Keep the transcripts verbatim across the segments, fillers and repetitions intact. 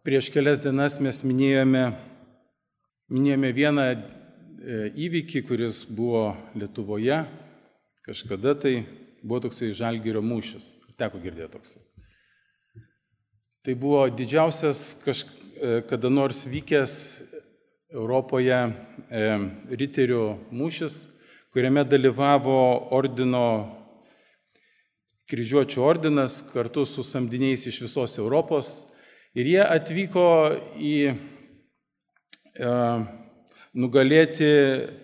Prieš kelias dienas mes minėjome, minėjome vieną įvykį, kuris buvo Lietuvoje. Kažkada tai buvo toksai Žalgirio mūšis. Teko girdėti toksai. Tai buvo didžiausias kada nors vykęs Europoje e, riterių mūšis, kuriame dalyvavo ordino, kryžiuočių ordinas kartu su samdiniais iš visos Europos. Ir jie atvyko į e, nugalėti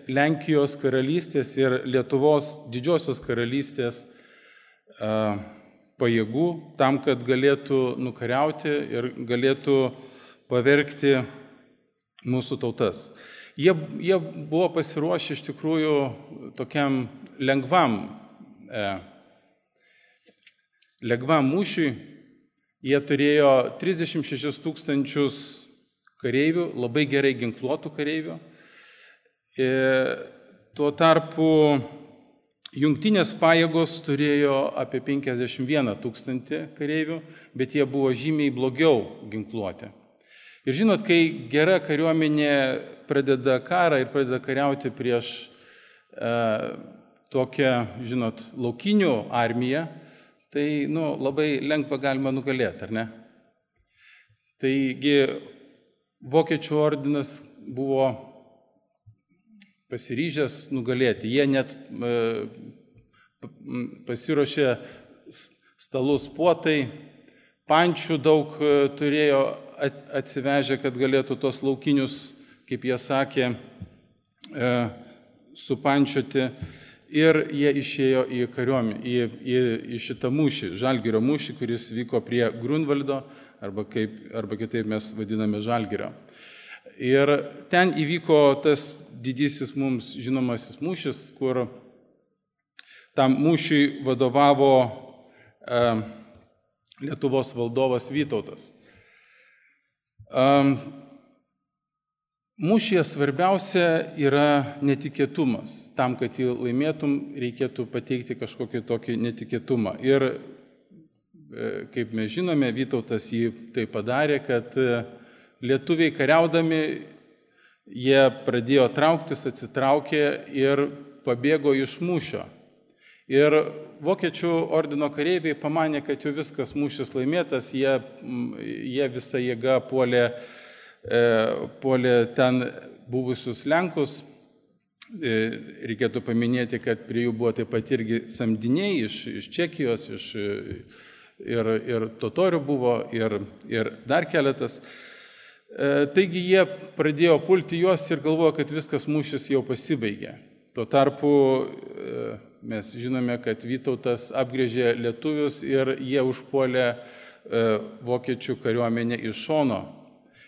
Lenkijos karalystės ir Lietuvos didžiosios karalystės e, pajėgų tam, kad galėtų nukariauti ir galėtų pavergti mūsų tautas. Jie, jie buvo pasiruošę iš tikrųjų tokiam lengvam, e, lengvam mūšiui. Jie turėjo trisdešimt šešis tūkstančius kareivių, labai gerai ginkluotų kareivių. E, tuo tarpu jungtinės pajėgos turėjo apie penkiasdešimt vieną tūkstantį kareivių, bet jie buvo žymiai blogiau ginkluoti. Ir žinot, kai gera kariuomenė pradeda karą ir pradeda kariauti prieš e, tokią, žinot, laukinių armiją, tai nu, labai lengva galima nugalėti, ar ne? Taigi Vokiečių ordinas buvo pasiryžęs nugalėti. Jie net e, pasiruošė stalus puotai, pančių daug e, turėjo atsivežę, kad galėtų tos laukinius, kaip jie sakė, e, supančioti. Ir jie išėjo į kariuomenę, į, į, į šitą mūšį, Žalgirio mūšį, kuris vyko prie Grunvaldo, arba, kaip, arba kitaip mes vadiname Žalgirio. Ir ten įvyko tas didysis mums žinomasis mūšis, kur tam mūšiui vadovavo e, Lietuvos valdovas Vytautas. Mūšyje svarbiausia yra netikėtumas. Tam, kad jį laimėtum, reikėtų pateikti kažkokį tokį netikėtumą. Ir, kaip mes žinome, Vytautas jį tai padarė, kad lietuviai kariaudami, jie pradėjo trauktis, atsitraukė ir pabėgo iš mūšio. Ir Vokiečių ordino kareiviai pamanė, kad jau viskas mūšis laimėtas, jie, jie visą jėgą puolė, e, puolė ten buvusius Lenkus. E, reikėtų paminėti, kad prie jų buvo taip pat irgi samdiniai iš, iš Čekijos, iš, ir, ir totorių buvo, ir, ir dar keletas. E, taigi jie pradėjo pulti juos ir galvojo, kad viskas mūšis jau pasibaigė. Tuo tarpu e, mes žinome, kad Vytautas apgrėžė lietuvius ir jie užpuolė e, vokiečių kariuomenę iš šono.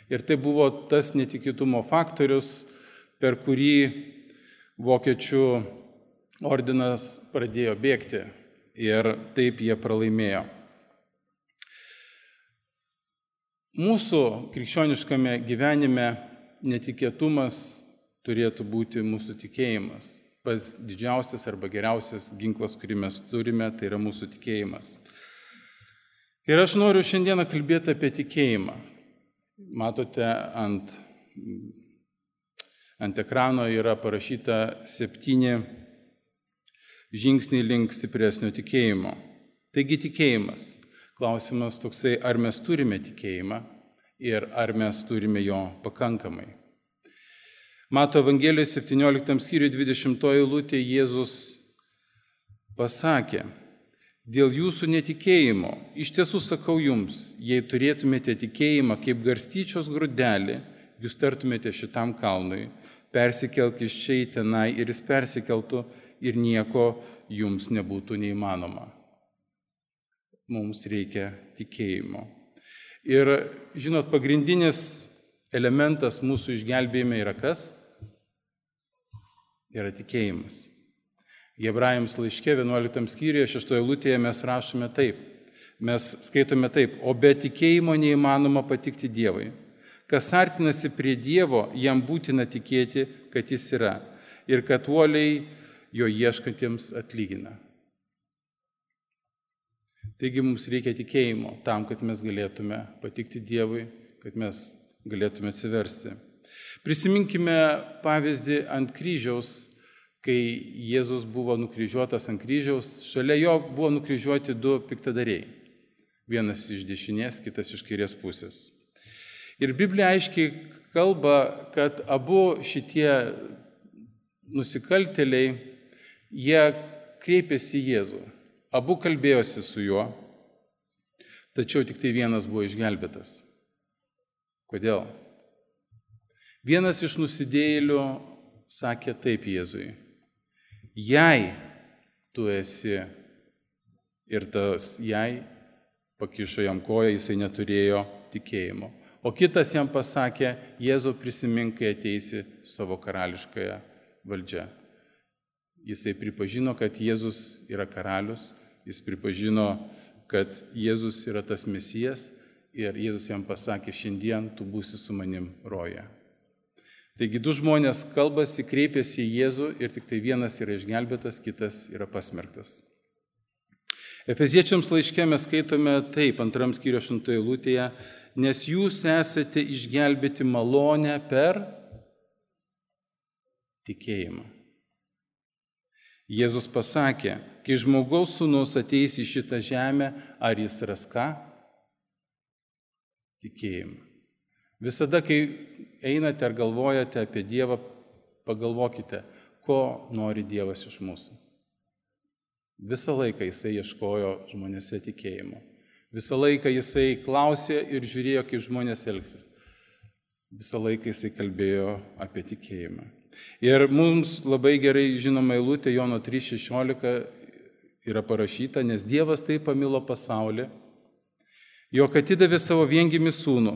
Ir tai buvo tas netikėtumo faktorius, per kurį vokiečių ordinas pradėjo bėgti ir taip jie pralaimėjo. Mūsų krikščioniškame gyvenime netikėtumas turėtų būti mūsų tikėjimas. Pats didžiausias arba geriausias ginklas, kurį mes turime, tai yra mūsų tikėjimas. Ir aš noriu šiandieną kalbėti apie tikėjimą. Matote, ant, ant ekrano yra parašyta septyni žingsniai link stipresnio tikėjimo. Taigi tikėjimas. Klausimas toksai, ar mes turime tikėjimą ir ar mes turime jo pakankamai. Mato Evangelijos septynioliktam skyriui dvidešimtoji eilutė Jėzus pasakė: dėl jūsų netikėjimo, iš tiesų sakau jums, jei turėtumėte tikėjimą kaip garstyčios grūdelį, jūs tartumėte šitam kalnui, persikelk iš čia į tenai ir jis persikeltų ir nieko jums nebūtų neįmanoma. Mums reikia tikėjimo. Ir žinot, pagrindinis elementas mūsų išgelbėjime yra kas? Yra tikėjimas. Hebrajams laiške vienuoliktam skyriuje šeštoje eilutėje mes rašome taip. Mes skaitome taip: o be tikėjimo neįmanoma patikti Dievui. Kas artinasi prie Dievo, jam būtina tikėti, kad jis yra ir kad uoliai jo ieškantiems atlygina. Taigi mums reikia tikėjimo tam, kad mes galėtume patikti Dievui, kad mes galėtume atsiversti. Prisiminkime pavyzdį ant kryžiaus, kai Jėzus buvo nukryžiuotas ant kryžiaus, šalia jo buvo nukryžiuoti du piktadariai. Vienas iš dešinės, kitas iš kairės pusės. Ir Biblija aiškiai kalba, kad abu šitie nusikaltėliai, jie kreipėsi į Jėzų. Abu kalbėjosi su juo, tačiau tik tai vienas buvo išgelbėtas. Kodėl? Vienas iš nusidėjėlių sakė taip Jėzui: jei tu esi, ir tas jei pakišo jam koją, jisai neturėjo tikėjimo. O kitas jam pasakė: Jėzau, prisimink, kai ateisi su savo karališkąją valdžią. Jisai pripažino, kad Jėzus yra karalius, jis pripažino, kad Jėzus yra tas Mesijas ir Jėzus jam pasakė: šiandien tu būsi su manim roje. Taigi du žmonės kalbasi, kreipiasi į Jėzų ir tik tai vienas yra išgelbėtas, kitas yra pasmerktas. Efeziečiams laiške mes skaitome taip, antram skyriuje aštuntoje eilutėje: nes jūs esate išgelbėti malonę per tikėjimą. Jėzus pasakė: kai žmogaus sūnus ateis į šitą žemę, ar jis ras ką? Tikėjimą. Visada, kai einate ar galvojate apie Dievą, pagalvokite, ko nori Dievas iš mūsų. Visą laiką jisai ieškojo žmonėse tikėjimo. Visą laiką jisai klausė ir žiūrėjo, kaip žmonės elgsis. Visą laiką jisai kalbėjo apie tikėjimą. Ir mums labai gerai žinoma eilutė Jono trys šešiolika yra parašyta: nes Dievas taip pamilo pasaulį, jog atidavė savo viengimį sūnų,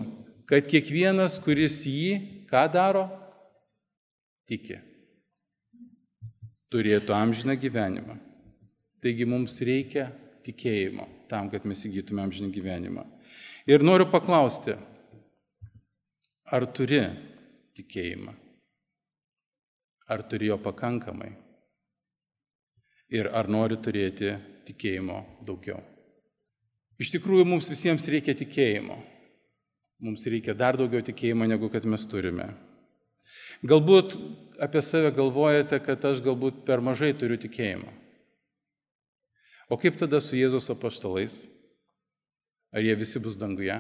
kad kiekvienas, kuris jį, ką daro, tiki, turėtų amžiną gyvenimą. Taigi mums reikia tikėjimo tam, kad mes įgytume amžiną gyvenimą. Ir noriu paklausti, ar turi tikėjimą? Ar turi jo pakankamai? Ir ar nori turėti tikėjimo daugiau? Iš tikrųjų, mums visiems reikia tikėjimo. Mums reikia dar daugiau tikėjimo, negu kad mes turime. Galbūt apie save galvojate, kad aš galbūt per mažai turiu tikėjimo. O kaip tada su Jėzaus apaštalais? Ar jie visi bus danguje?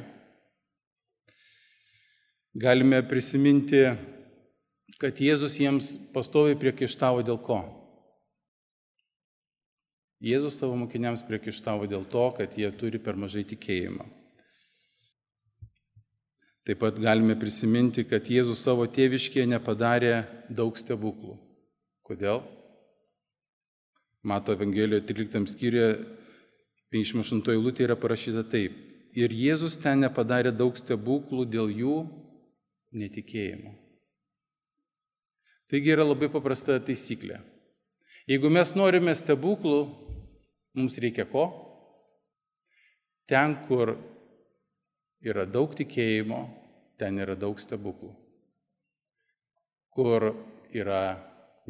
Galime prisiminti, kad Jėzus jiems pastoviai priekaištavo dėl ko? Jėzus savo mokiniams priekaištavo dėl to, kad jie turi per mažai tikėjimo. Taip pat galime prisiminti, kad Jėzus savo tėviškėje nepadarė daug stebuklų. Kodėl? Mato Evangelijoje tryliktam skyriuje penkiasdešimt aštuntoje eilutėje yra parašyta taip: ir Jėzus ten nepadarė daug stebuklų dėl jų netikėjimo. Taigi yra labai paprasta taisyklė. Jeigu mes norime stebuklų, mums reikia ko? Ten, kur yra daug tikėjimo, ten yra daug stebuklų. Kur yra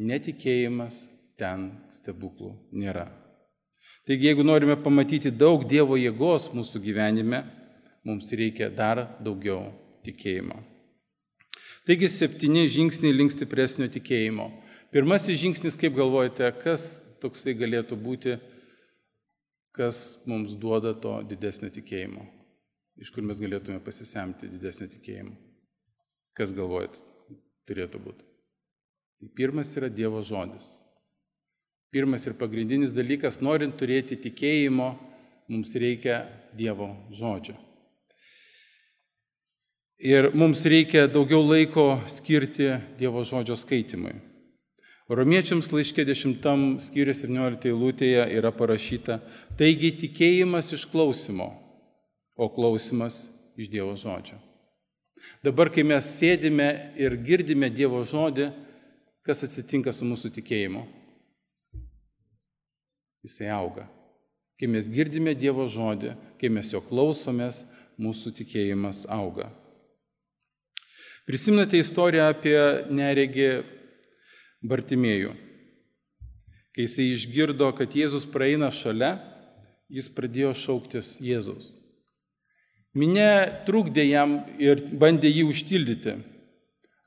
netikėjimas, ten stebuklų nėra. Taigi, jeigu norime pamatyti daug Dievo jėgos mūsų gyvenime, mums reikia dar daugiau tikėjimo. Taigi, septyni žingsniai link stipresnio tikėjimo. Pirmasis žingsnis, kaip galvojate, kas toksai galėtų būti, kas mums duoda to didesnio tikėjimo? Iš kur mes galėtume pasisemti didesnio tikėjimo? Kas galvojat turėtų būti? Tai pirmas yra Dievo žodis. Pirmas ir pagrindinis dalykas, norint turėti tikėjimo, mums reikia Dievo žodžio. Ir mums reikia daugiau laiko skirti Dievo žodžio skaitimui. Romiečiams laiške dešimtam skyriuje septynioliktoje eilutėje yra parašyta: taigi tikėjimas iš klausimo, o klausimas iš Dievo žodžio. Dabar, kai mes sėdime ir girdime Dievo žodį, kas atsitinka su mūsų tikėjimu? Jisai auga. Kai mes girdime Dievo žodį, kai mes jo klausomės, mūsų tikėjimas auga. Prisimenate istoriją apie neregį Bartimėjų. Kai jisai išgirdo, kad Jėzus praeina šalia, jis pradėjo šauktis Jėzaus. Minia trukdė jam ir bandė jį užtildyti.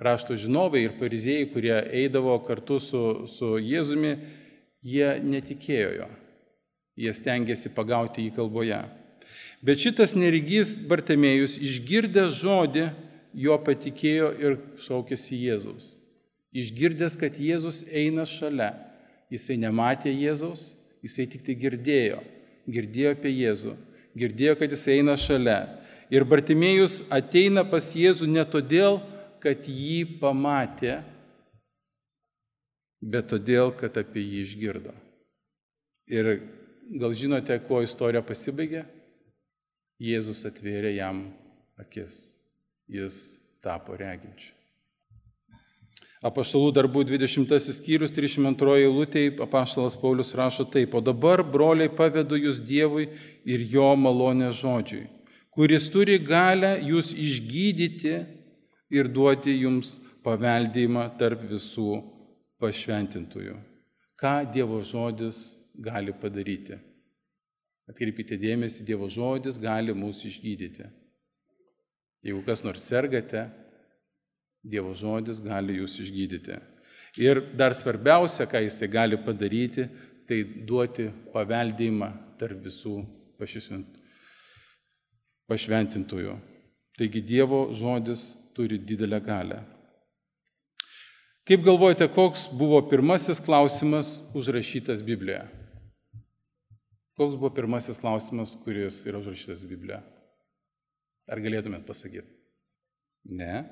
Rašto žinovai ir fariziejai, kurie eidavo kartu su, su Jėzumi, jie netikėjo jo. Jie stengiasi pagauti jį kalboje. Bet šitas neregys Bartimėjus, išgirdęs žodį, jo patikėjo ir šaukėsi Jėzaus. Išgirdęs, kad Jėzus eina šalia. Jisai nematė Jėzaus, jisai tik tai girdėjo. Girdėjo apie Jėzų. Girdėjo, kad jisai eina šalia. Ir Bartimėjus ateina pas Jėzų ne todėl, kad jį pamatė, bet todėl, kad apie jį išgirdo. Ir gal žinote, kuo istorija pasibaigė? Jėzus atvėrė jam akis. Jis tapo reginčiu. Apaštalų darbų dvidešimtasis skyrius, trisdešimt antroji eilutė, apaštalas Paulius rašo taip: o dabar, broliai, pavedu jūs Dievui ir jo malonės žodžiui, kuris turi galę jūs išgydyti ir duoti jums paveldėjimą tarp visų pašventintųjų. Ką Dievo žodis gali padaryti? Atkreipkite dėmesį, Dievo žodis gali mūsų išgydyti. Jeigu kas nors sergate, Dievo žodis gali jūs išgydyti. Ir dar svarbiausia, ką jisai gali padaryti, tai duoti paveldėjimą tarp visų pašventintųjų. Taigi Dievo žodis turi didelę galią. Kaip galvojate, koks buvo pirmasis klausimas užrašytas Biblijoje? Koks buvo pirmasis klausimas, kuris yra užrašytas Biblijoje? Ar galėtumėt pasakyti? Ne.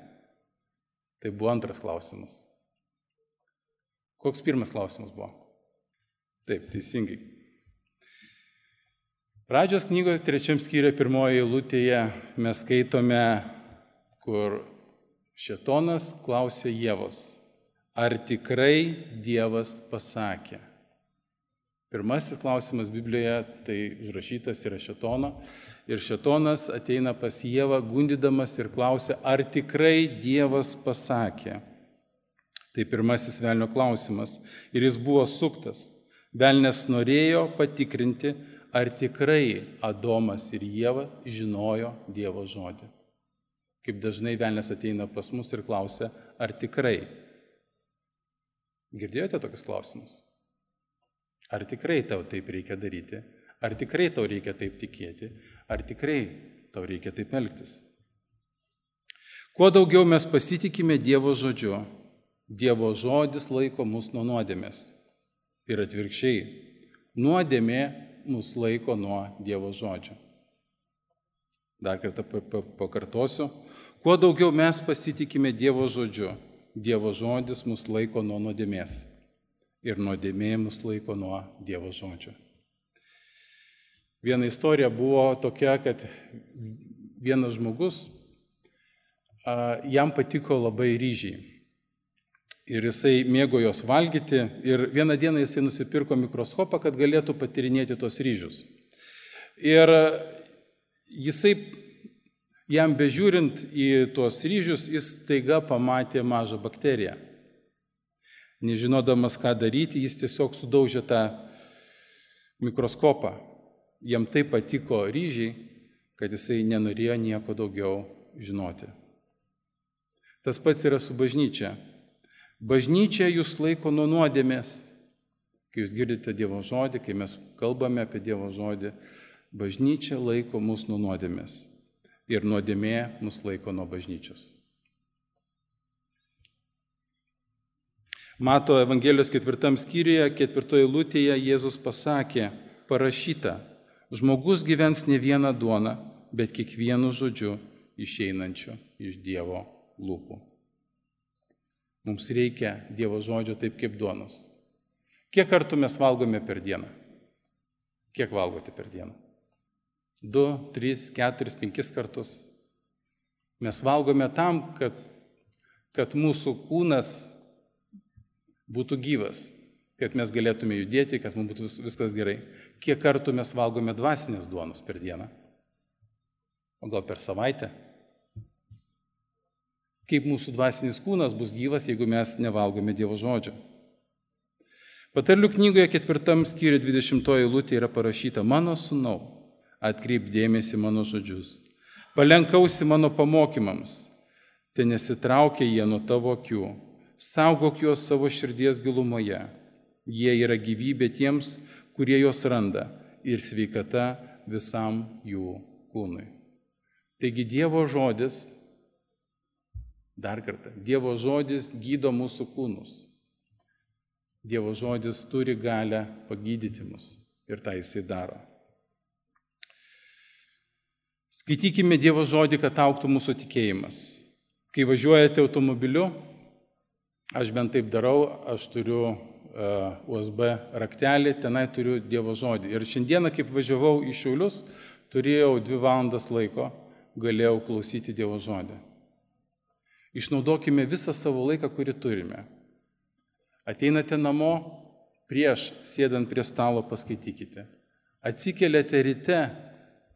Tai buvo antras klausimas. Koks pirmas klausimas buvo? Taip, teisingai. Pradžios knygoje trečiam skyriuje pirmoje eilutėje mes skaitome, kur Šėtonas klausė Ievos, ar tikrai Dievas pasakė? Pirmasis klausimas Biblijoje tai užrašytas yra Šėtono. Ir Šėtonas ateina pas Ievą gundydamas ir klausia, ar tikrai Dievas pasakė. Tai pirmasis velnio klausimas. Ir jis buvo suktas. Velnias norėjo patikrinti, ar tikrai Adomas ir Ieva žinojo Dievo žodį. Kaip dažnai velnias ateina pas mus ir klausia, ar tikrai. Girdėjote tokius klausimus? Ar tikrai tau taip reikia daryti? Ar tikrai tau reikia taip tikėti? Ar tikrai tau reikia taip elgtis? Kuo daugiau mes pasitikime Dievo žodžiu, Dievo žodis laiko mus nuo nuodėmės. Ir atvirkščiai, nuodėmė mus laiko nuo Dievo žodžio. Dar kartą pakartosiu. Kuo daugiau mes pasitikime Dievo žodžiu, Dievo žodis mus laiko nuo nuodėmės. Ir nuodėmė mus laiko nuo Dievo žodžio. Viena istorija buvo tokia, kad vienas žmogus, jam patiko labai ryžiai. Ir jisai mėgo jos valgyti ir vieną dieną jisai nusipirko mikroskopą, kad galėtų patyrinėti tos ryžius. Ir jisai, jam bežiūrint į tuos ryžius, jis staiga pamatė mažą bakteriją. Nežinodamas, ką daryti, jis tiesiog sudaužė tą mikroskopą. Jam taip patiko ryžiai, kad jisai nenorėjo nieko daugiau žinoti. Tas pats yra su bažnyčia. Bažnyčia jūs laiko nuo nuodėmės. Kai jūs girdite Dievo žodį, kai mes kalbame apie Dievo žodį, bažnyčia laiko mus nuo nuodėmės. Ir nuodėmė mus laiko nuo bažnyčios. Mato Evangelijos ketvirtam skyriuje, ketvirtoje eilutėje Jėzus pasakė, parašyta, žmogus gyvens ne vieną duoną, bet kiekvienu žodžiu išeinančiu iš Dievo lūpų. Mums reikia Dievo žodžio taip kaip duonos. Kiek kartų mes valgome per dieną? Kiek valgote per dieną? Du, tris, keturis, penkis kartus. Mes valgome tam, kad, kad mūsų kūnas būtų gyvas, kad mes galėtume judėti, kad mums būtų viskas gerai. Kiek kartų mes valgome dvasinės duonos per dieną? O gal per savaitę? Kaip mūsų dvasinis kūnas bus gyvas, jeigu mes nevalgome Dievo žodžio? Patarlių knygoje ketvirtam skyriuje dvidešimtoji eilutė yra parašyta, mano sūnau, atkreip dėmesį mano žodžius, Palenkausi mano pamokymams, te nesitraukia jie nuo tavo akių, saugok juos savo širdies gilumoje. Jie yra gyvybė tiems, kurie juos randa, ir sveikata visam jų kūnui. Taigi Dievo žodis, dar kartą, Dievo žodis gydo mūsų kūnus. Dievo žodis turi galę pagydyti mus ir tą jisai daro. Skaitykime Dievo žodį, kad augtų mūsų tikėjimas. Kai važiuojate automobiliu, aš bent taip darau, aš turiu uh, U S B raktelį, tenai turiu Dievo žodį. Ir šiandieną, kaip važiavau į Šiaulius, turėjau dvi valandas laiko, galėjau klausyti Dievo žodį. Išnaudokime visą savo laiką, kurį turime. Ateinate namo, prieš sėdant prie stalo paskaitykite. Atsikeliate ryte,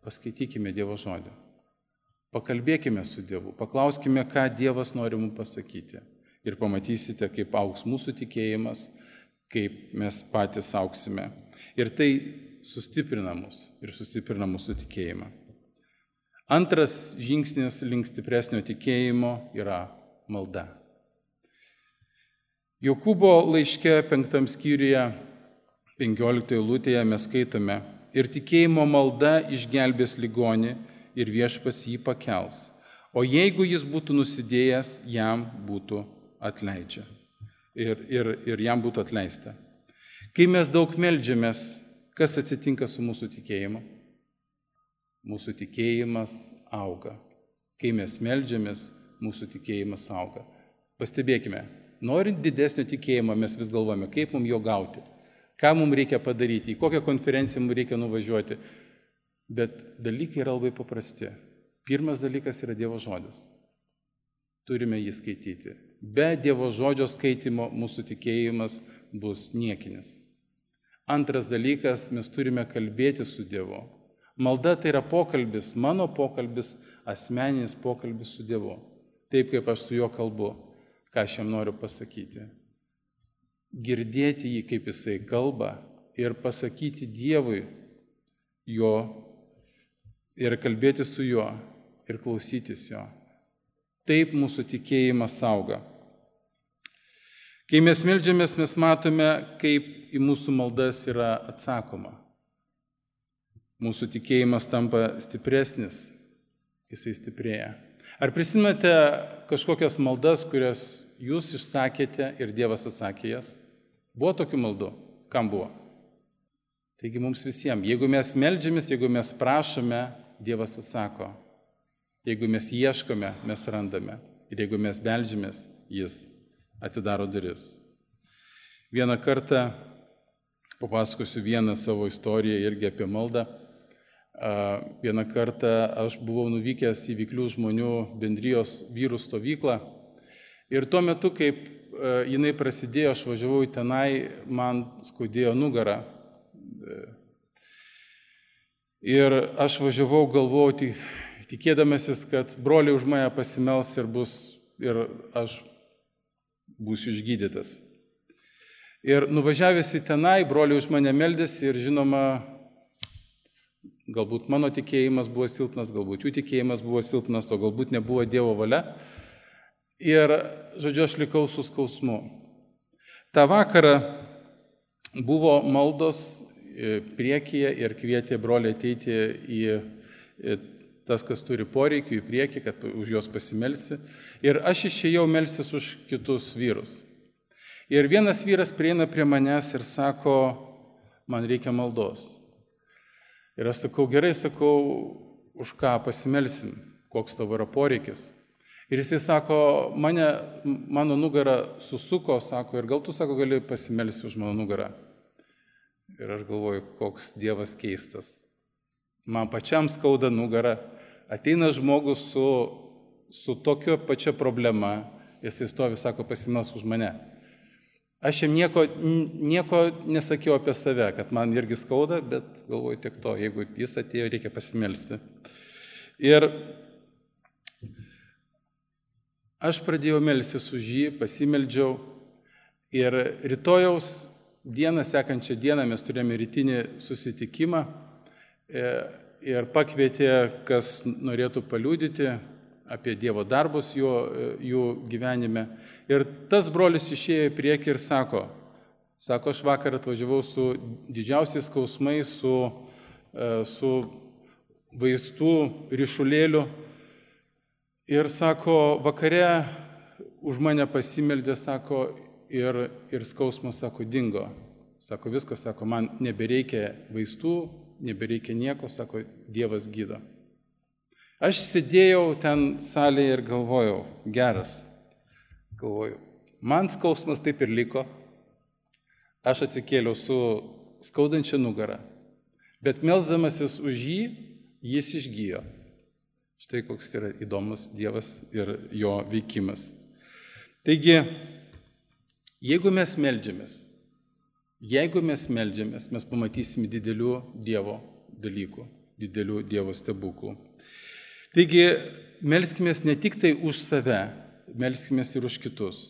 paskaitykime Dievo žodį. Pakalbėkime su Dievu, paklauskime, ką Dievas nori mums pasakyti. Ir pamatysite, kaip augs mūsų tikėjimas, kaip mes patys auksime. Ir tai sustiprina mus ir sustiprina mūsų tikėjimą. Antras žingsnis link stipresnio tikėjimo yra malda. Jokūbo laiške penktam skyriuje, penkioliktoje eilutėje mes skaitome: ir tikėjimo malda išgelbės ligonį ir viešpats jį pakels. O jeigu jis būtų nusidėjęs, jam būtų atleidžia. Ir, ir, ir jam būtų atleista. Kai mes daug meldžiamės, kas atsitinka su mūsų tikėjimu? Mūsų tikėjimas auga. Kai mes meldžiamės, mūsų tikėjimas auga. Pastebėkime, norint didesnio tikėjimo, mes vis galvojame, kaip mums jo gauti. Ką mums reikia padaryti, į kokią konferenciją mums reikia nuvažiuoti. Bet dalykai yra labai paprasti. Pirmas dalykas yra Dievo žodis. Turime jį skaityti. Be Dievo žodžio skaitimo mūsų tikėjimas bus niekinis. Antras dalykas, mes turime kalbėti su Dievu. Malda tai yra pokalbis, mano pokalbis, asmeninis pokalbis su Dievu. Taip, kaip aš su juo kalbu, ką aš jam noriu pasakyti. Girdėti jį, kaip jisai kalba, ir pasakyti Dievui jo, ir kalbėti su juo, ir klausytis jo. Taip mūsų tikėjimas auga. Kai mes meldžiamės, mes matome, kaip į mūsų maldas yra atsakoma. Mūsų tikėjimas tampa stipresnis, jisai stiprėja. Ar prisimenate kažkokias maldas, kurias jūs išsakėte ir Dievas atsakė jas? Buvo tokių maldų? Kam buvo? Taigi mums visiems, jeigu mes meldžiamės, jeigu mes prašome, Dievas atsako. Jeigu mes ieškome, mes randame. Ir jeigu mes meldžiamės, jis atidaro duris. Vieną kartą papasakosiu vieną savo istoriją irgi apie maldą. Vieną kartą aš buvau nuvykęs į Vyklių žmonių bendrijos vyrų stovyklą. Ir tuo metu, kaip jinai prasidėjo, aš važiavau į tenai, man skaudėjo nugarą. Ir aš važiavau, galvojau, tikėdamasis, kad broliai už mane pasimels ir, bus, ir aš būsiu išgydytas. Ir nuvažiavęs į tenai, broliai už mane meldėsi ir žinoma, galbūt mano tikėjimas buvo silpnas, galbūt jų tikėjimas buvo silpnas, o galbūt nebuvo Dievo valia. Ir, žodžiu, aš likau su skausmu. Ta vakarą buvo maldos priekyje ir kvietė broliai ateiti į tas, kas turi poreikių, į priekį, kad už juos pasimelsi. Ir aš išėjau melsis už kitus vyrus. Ir vienas vyras prieina prie manęs ir sako, man reikia maldos. Ir aš sakau, gerai, sakau, už ką pasimelsim, koks tavo yra poreikis. Ir jisai sako, mane, mano nugarą susuko, sako, ir gal tu, sako, gali pasimelsi už mano nugarą. Ir aš galvoju, koks Dievas keistas. Man pačiam skauda nugarą, ateina žmogus su, su tokio pačia problema, jisai stovi, sako, pasimels už mane. Aš jam nieko, nieko nesakiau apie save, kad man irgi skauda, bet galvoju tiek to, jeigu jis atėjo, reikia pasimelsti. Ir aš pradėjau melsis už jį, pasimeldžiau ir rytojaus dieną, sekančią dieną mes turėjome rytinį susitikimą ir pakvietė, kas norėtų paliudyti apie Dievo darbus jo, jų gyvenime. Ir tas brolis išėjo į priekį ir sako, sako, aš vakar atvažiavau su didžiausiais skausmais, su, su vaistų ryšulėliu. Ir sako, vakare už mane pasimeldė, sako, ir, ir skausmas, sako, dingo. Sako, viskas, sako, man nebereikia vaistų, nebereikia nieko, sako, Dievas gydo. Aš sėdėjau ten salėje ir galvojau, geras, galvojau, man skausmas taip ir liko, aš atsikėliau su skaudančia nugara, bet melsdamasis už jį, jis išgyjo. Štai koks yra įdomus Dievas ir jo veikimas. Taigi, jeigu mes meldžiamės, jeigu mes meldžiamės, mes pamatysime didelių Dievo dalykų, didelių Dievo stebuklų. Taigi, melskimės ne tik tai už save, melskimės ir už kitus.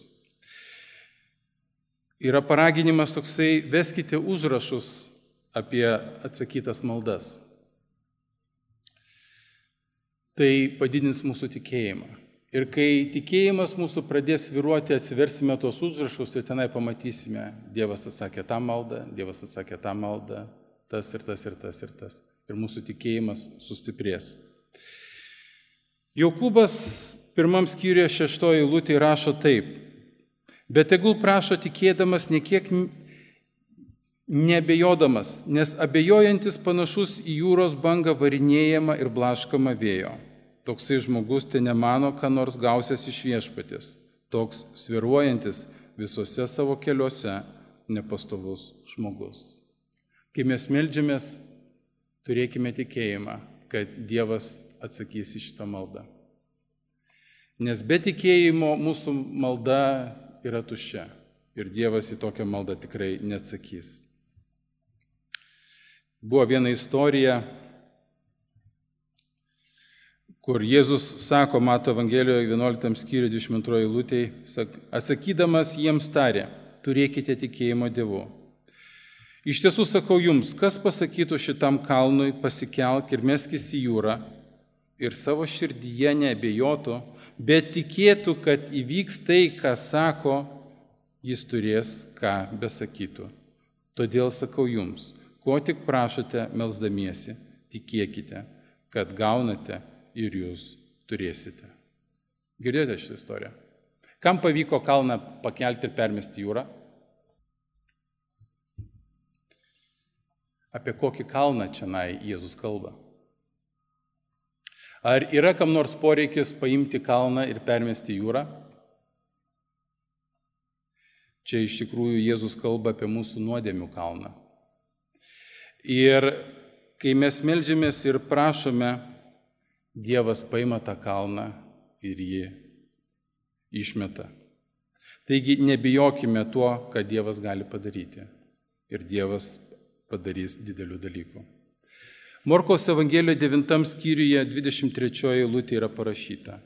Yra paraginimas toksai, veskite užrašus apie atsakytas maldas. Tai padidins mūsų tikėjimą. Ir kai tikėjimas mūsų pradės svyruoti, atsiversime tuos užrašus ir tenai pamatysime, Dievas atsakė tą maldą, Dievas atsakė tą maldą, tas ir tas ir tas ir tas. Ir mūsų tikėjimas sustiprės. Jokūbas pirmam skyriuje šeštoji eilutė rašo taip, bet tegul prašo tikėdamas, niekiek neabejodamas, nes abejojantis panašus į jūros bangą varinėjama ir blaškama vėjo. Toksai žmogus te nemano, ką nors gausias iš viešpaties, toks svyruojantis visose savo keliuose nepastovus žmogus. Kai mes meldžiamės, turėkime tikėjimą, kad Dievas atsakys į šitą maldą. Nes be tikėjimo mūsų malda yra tuščia ir Dievas į tokią maldą tikrai neatsakys. Buvo viena istorija, kur Jėzus sako, Mato Evangelijoje vienuoliktam skyriuje dvidešimt antroje eilutėje, atsakydamas jiems tarė, turėkite tikėjimo Dievu. Iš tiesų sakau jums, kas pasakytų šitam kalnui, pasikelk ir meskis į jūrą ir savo širdyje neabejotų, bet tikėtų, kad įvyks tai, ką sako, jis turės, ką besakytų. Todėl sakau jums, ko tik prašote melsdamiesi, tikėkite, kad gaunate ir jūs turėsite. Girdėjote šitą istoriją? Kam pavyko kalną pakelti ir permesti jūrą? Apie kokį kalną čianai Jėzus kalba? Ar yra kam nors poreikis paimti kalną ir permesti jūrą? Čia iš tikrųjų Jėzus kalba apie mūsų nuodėmių kalną. Ir kai mes meldžiamės ir prašome, Dievas paima tą kalną ir jį išmeta. Taigi nebijokime tuo, ką Dievas gali padaryti. Ir Dievas padarys didelių dalykų. Morkaus Evangelijoje devintam skyriuje dvidešimt trečioje eilutėje yra parašyta.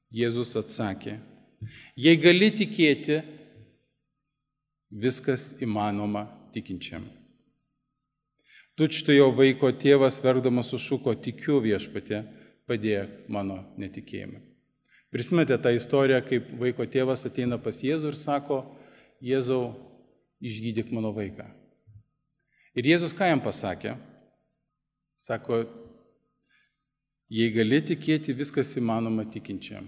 Jėzus atsakė, jei gali tikėti, viskas įmanoma tikinčiam. Tučtuojo vaiko tėvas verkdamas sušuko, tikiu viešpatie, padėk mano netikėjimui. Prisimenate tą istoriją, kaip vaiko tėvas ateina pas Jėzų ir sako, Jėzau, išgydyk mano vaiką. Ir Jėzus ką jam pasakė? Sako, jei gali tikėti, viskas įmanoma tikinčiam.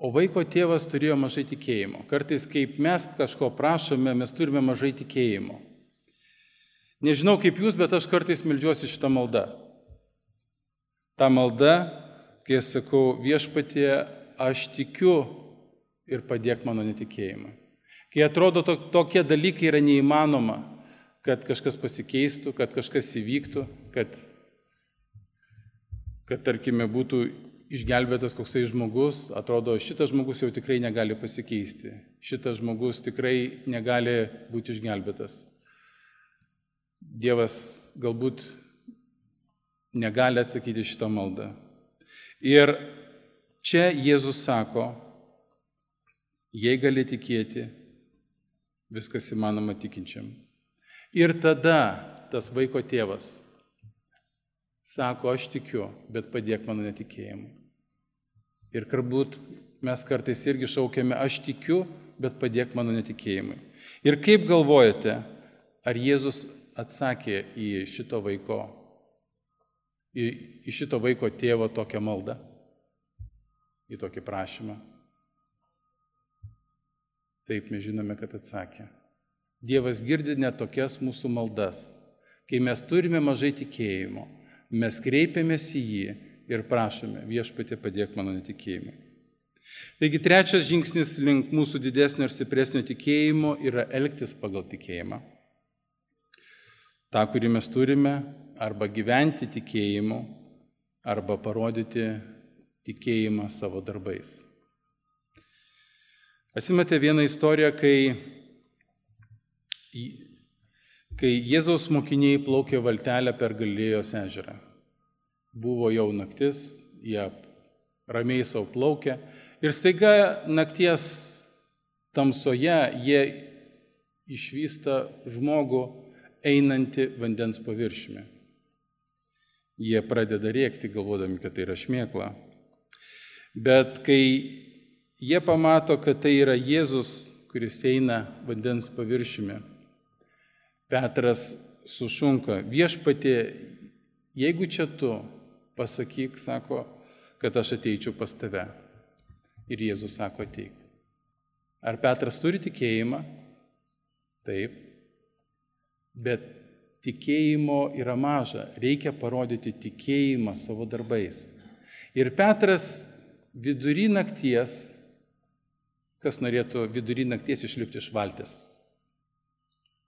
O vaiko tėvas turėjo mažai tikėjimo. Kartais, kaip mes kažko prašome, mes turime mažai tikėjimo. Nežinau kaip jūs, bet aš kartais meldžiuosi šitą maldą. Ta malda, kai aš sakau, viešpatie, aš tikiu ir padėk mano netikėjimą. Kai atrodo, to, tokie dalykai yra neįmanoma, kad kažkas pasikeistų, kad kažkas įvyktų, kad, kad tarkime, būtų išgelbėtas koksai žmogus, atrodo, šitas žmogus jau tikrai negali pasikeisti, šitas žmogus tikrai negali būti išgelbėtas. Dievas galbūt negali atsakyti šitą maldą. Ir čia Jėzus sako, jei gali tikėti, viskas įmanoma tikinčiam. Ir tada tas vaiko tėvas sako, aš tikiu, bet padėk mano netikėjimui. Ir galbūt mes kartais irgi šaukiame, aš tikiu, bet padėk mano netikėjimui. Ir kaip galvojate, ar Jėzus atsakė į šito vaiko, į, į šito vaiko tėvo tokią maldą, į tokį prašymą? Taip, mes žinome, kad atsakė. Dievas girdi net tokias mūsų maldas. Kai mes turime mažai tikėjimo, mes kreipiamės į jį ir prašome, viešpatie padėk mano netikėjimui. Taigi trečias žingsnis link mūsų didesnio ir stipresnio tikėjimo yra elgtis pagal tikėjimą. Ta, kurį mes turime, arba gyventi tikėjimu, arba parodyti tikėjimą savo darbais. Atsimenate vieną istoriją, kai, kai Jėzaus mokiniai plaukė valtelę per Galilėjos ežerą. Buvo jau naktis, jie ramiai savo plaukė ir staiga nakties tamsoje jie išvysta žmogų einantį vandens paviršiumi. Jie pradeda rėkti, galvodami, kad tai yra šmėkla. Bet kai jie pamato, kad tai yra Jėzus, kuris eina vandens paviršiumi, Petras sušunka, viešpatie, jeigu čia tu, pasakyk, sako, kad aš ateičiau pas tave. Ir Jėzus sako, ateik. Ar Petras turi tikėjimą? Taip. Bet tikėjimo yra maža. Reikia parodyti tikėjimą savo darbais. Ir Petras vidury nakties, kas norėtų vidury nakties išlipti iš valties?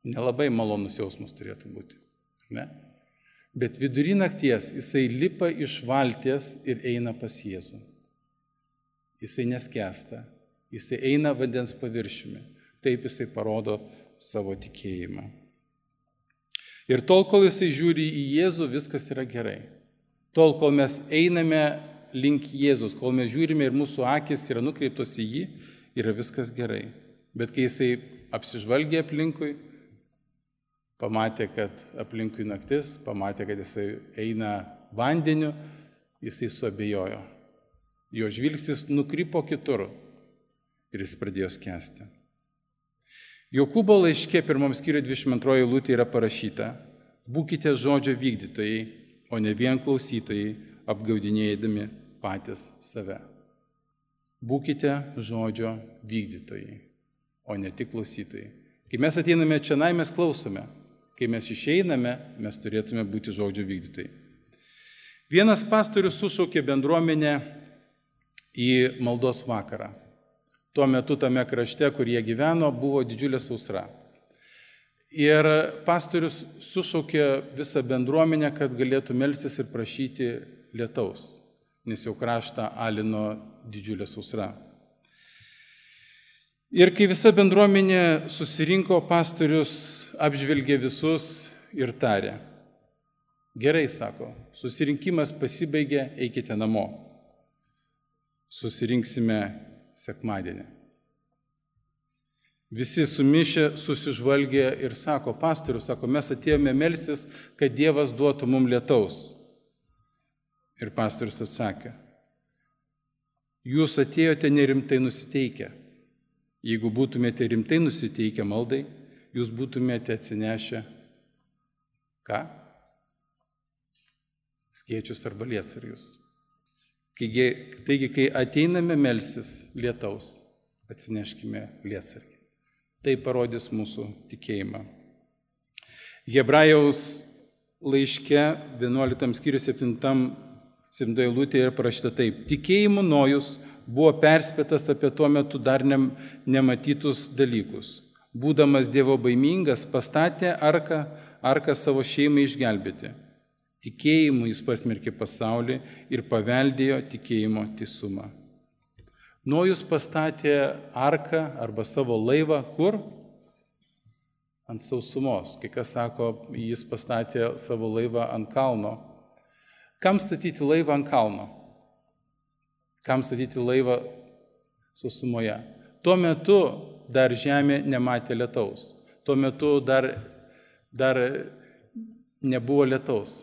Nelabai malonus jausmas turėtų būti, ne? Bet vidury nakties jisai lipa iš valties ir eina pas Jėzų. Jisai neskęsta, jisai eina vandens paviršiumi. Taip jisai parodo savo tikėjimą. Ir tol, kol jisai žiūri į Jėzų, viskas yra gerai. Tol, kol mes einame link Jėzus, kol mes žiūrime ir mūsų akis yra nukreiptos į jį, yra viskas gerai. Bet kai jisai apsižvalgė aplinkui, pamatė, kad aplinkui naktis, pamatė, kad jisai eina vandeniu, jisai suabejojo. Jo žvilgsnis nukrypo kitur ir jis pradėjo skęsti. Jokūbo laiške pirmam skyriuje dvidešimt antroji eilutė yra parašyta: būkite žodžio vykdytojai, o ne vien klausytojai, apgaudinėdami patys save. Būkite žodžio vykdytojai, o ne tik klausytojai. Kai mes ateiname čionai, mes klausome. Kai mes išeiname, mes turėtume būti žodžio vykdytojai. Vienas pastorius sušaukė bendruomenę į maldos vakarą. Tuo metu tame krašte, kur jie gyveno, buvo didžiulė sausra. Ir pastorius sušaukė visą bendruomenę, kad galėtų melstis ir prašyti lietaus, nes jau kraštą alino didžiulė sausra. Ir kai visa bendruomenė susirinko, pastorius apžvelgė visus ir tarė: gerai, sako, susirinkimas pasibaigė, eikite namo. Susirinksime sekmadienį. Visi sumišę susižvalgė ir sako, pastorius, sako, mes atėjome melstis, kad Dievas duotų mums lietaus. Ir pastorius atsakė: jūs atėjote nerimtai nusiteikę. Jeigu būtumėte rimtai nusiteikę maldai, jūs būtumėte atsinešę ką? Skėčius arba lietsargius. Taigi, kai ateiname melstis lietaus, atsineškime lietsargį. Tai parodys mūsų tikėjimą. Hebrajaus laiške vienuoliktam skyriuje septintam septintoje eilutėje yra parašyta taip: tikėjimu Nojus buvo perspėtas apie tuo metu dar nematytus dalykus. Būdamas Dievo baimingas, pastatė arką, arką savo šeimai išgelbėti. Tikėjimu jis pasmerkė pasaulį ir paveldėjo tikėjimo teisumą. Nojus pastatė arką arba savo laivą kur? Ant sausumos. Kai kas sako, jis pastatė savo laivą ant kalno. Kam statyti laivą ant kalno? Kam statyti laivą sausumoje? Tuo metu dar žemė nematė lietaus. Tuo metu dar, dar nebuvo lietaus.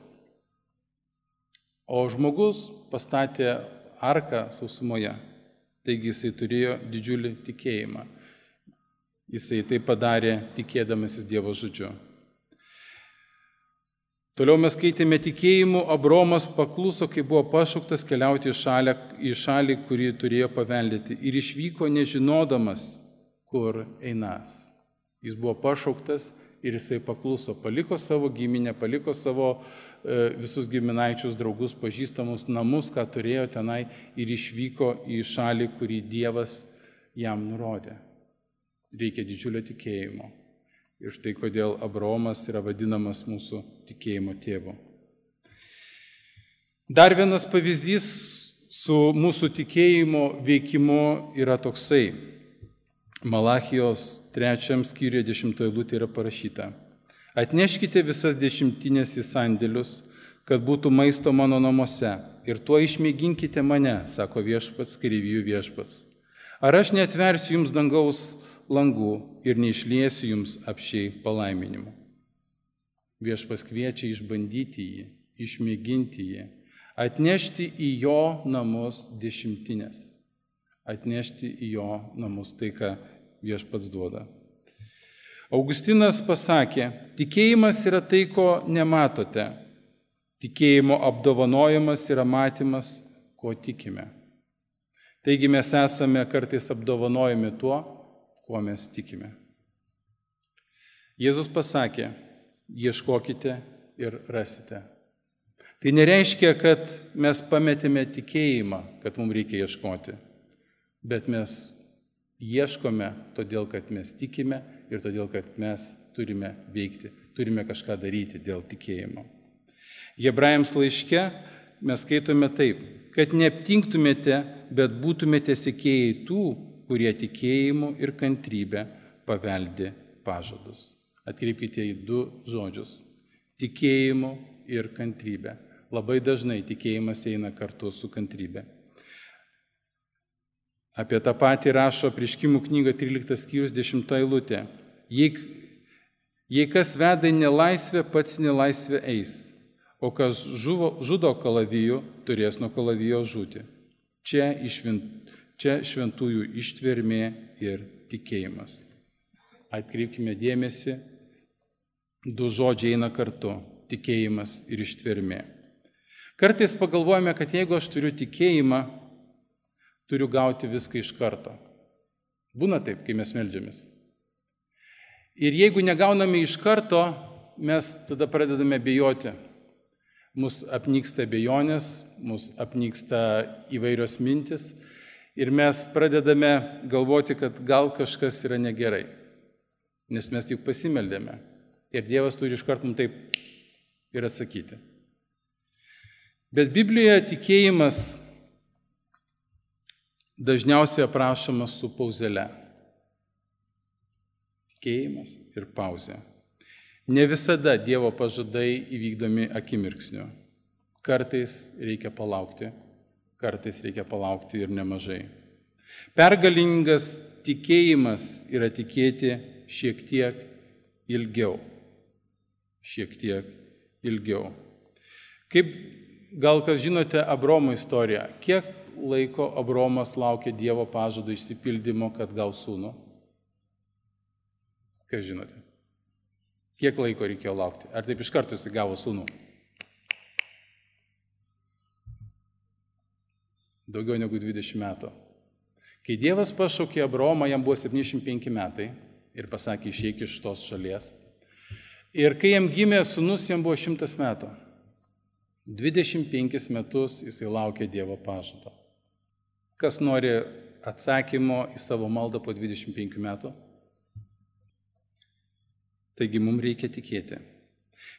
O žmogus pastatė arką sausumoje, taigi jisai turėjo didžiulį tikėjimą. Jisai tai padarė tikėdamasis Dievo žodžiu. Toliau mes skaitėme tikėjimu, Abraomas pakluso, kai buvo pašauktas keliauti į šalį, į šalį, kurį turėjo paveldėti, ir išvyko nežinodamas, kur einas. Jis buvo pašauktas ir jisai pakluso, paliko savo giminę, paliko savo e, visus giminaičius, draugus, pažįstamus namus, ką turėjo tenai, ir išvyko į šalį, kurį Dievas jam nurodė. Reikia didžiulio tikėjimo. Ir štai kodėl Abraomas yra vadinamas mūsų tikėjimo tėvu. Dar vienas pavyzdys su mūsų tikėjimo veikimu yra toksai. Malachijos trečiam skyriuje dešimtoje eilutėje yra parašyta: Atneškite visas dešimtinės į sandėlius, kad būtų maisto mano namuose, ir tuo išmėginkite mane, sako viešpats, kareivijų viešpats. Ar aš neatversiu jums dangaus langų ir neišliesiu jums apšiai palaiminimų. Viešpas kviečia išbandyti jį, išmėginti jį, atnešti į jo namus dešimtinės, atnešti į jo namus tai, ką viešpats duoda. Augustinas pasakė, tikėjimas yra tai, ko nematote, tikėjimo apdovanojimas yra matymas, ko tikime. Taigi mes esame kartais apdovanojami tuo, kuo mes tikime. Jėzus pasakė, ieškokite ir rasite. Tai nereiškia, kad mes pametėme tikėjimą, kad mums reikia ieškoti, bet mes ieškome todėl, kad mes tikime ir todėl, kad mes turime veikti, turime kažką daryti dėl tikėjimo. Hebrajams laiške mes skaitome taip, kad neaptinktumėte, bet būtumėte sekėjai tų, kurie tikėjimu ir kantrybę paveldi pažadus. Atkreipkite į du žodžius – tikėjimu ir kantrybė. Labai dažnai tikėjimas eina kartu su kantrybė. Apie tą patį rašo Apreiškimų knyga tryliktas skyrius dešimta eilutė. Jei, jei kas veda į nelaisvę, pats nelaisvę eis, o kas žuvo, žudo kalavijų, turės nuo kalavijo žūti. Čia išvint Čia šventųjų ištvermė ir tikėjimas. Atkreipkime dėmesį, du žodžiai eina kartu – tikėjimas ir ištvermė. Kartais pagalvojame, kad jeigu aš turiu tikėjimą, turiu gauti viską iš karto. Būna taip, kai mes meldžiamės. Ir jeigu negauname iš karto, mes tada pradedame bijoti. Mus apnyksta abejonės, mus apnyksta įvairios mintis. Ir mes pradedame galvoti, kad gal kažkas yra negerai, nes mes tik pasimeldėme. Ir Dievas turi iškart mums taip ir atsakyti. Bet Biblijoje tikėjimas dažniausiai aprašomas su pauzele. Tikėjimas ir pauzė. Ne visada Dievo pažadai įvykdomi akimirksniu. Kartais reikia palaukti. Kartais reikia palaukti ir nemažai. Pergalingas tikėjimas yra tikėti šiek tiek ilgiau. Šiek tiek ilgiau. Kaip gal kas žinote Abraomo istoriją? Kiek laiko Abraomas laukė Dievo pažado išsipildymo, kad gaus sūnų? Kas žinote? Kiek laiko reikėjo laukti? Ar taip iš karto jis gavo sūnų? Daugiau negu dvidešimt metų. Kai Dievas pašaukė Abraomą, jam buvo septyniasdešimt penki metai ir pasakė, išeik iš tos šalies. Ir kai jam gimė sūnus, jam buvo šimtas metų. dvidešimt penkis metus jisai laukė Dievo pažado. Kas nori atsakymo į savo maldą po dvidešimt penkių metų? Taigi mums reikia tikėti.